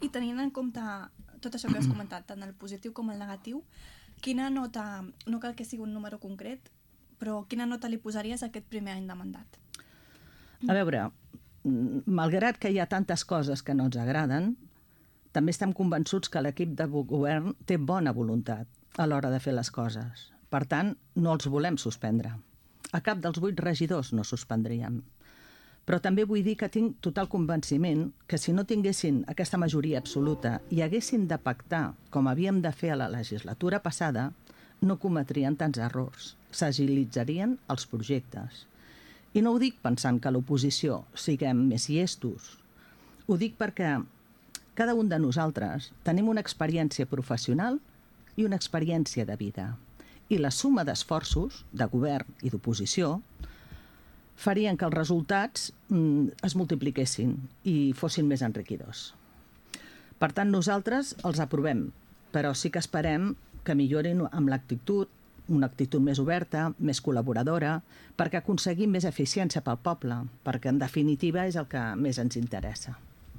I tenint en compte tot això que has comentat, tant el positiu com el negatiu, quina nota, no cal que sigui un número concret, però quina nota li posaries a aquest primer any de mandat? A veure, malgrat que hi ha tantes coses que no ens agraden, també estem convençuts que l'equip de govern té bona voluntat a l'hora de fer les coses. Per tant, no els volem suspendre. A cap dels 8 regidors no suspendríem. Però també vull dir que tinc total convenciment que si no tinguessin aquesta majoria absoluta i haguessin de pactar, com havíem de fer a la legislatura passada, no cometrien tants errors. S'agilitzarien els projectes. I no ho dic pensant que a l'oposició siguem més llestos. Ho dic perquè cada un de nosaltres tenim una experiència professional i una experiència de vida. I la suma d'esforços, de govern i d'oposició, farien que els resultats es multipliquessin i fossin més enriquidors. Per tant, nosaltres els aprovem, però sí que esperem que millorin amb l'actitud, una actitud més oberta, més col·laboradora, perquè aconseguim més eficiència pel poble, perquè en definitiva és el que més ens interessa.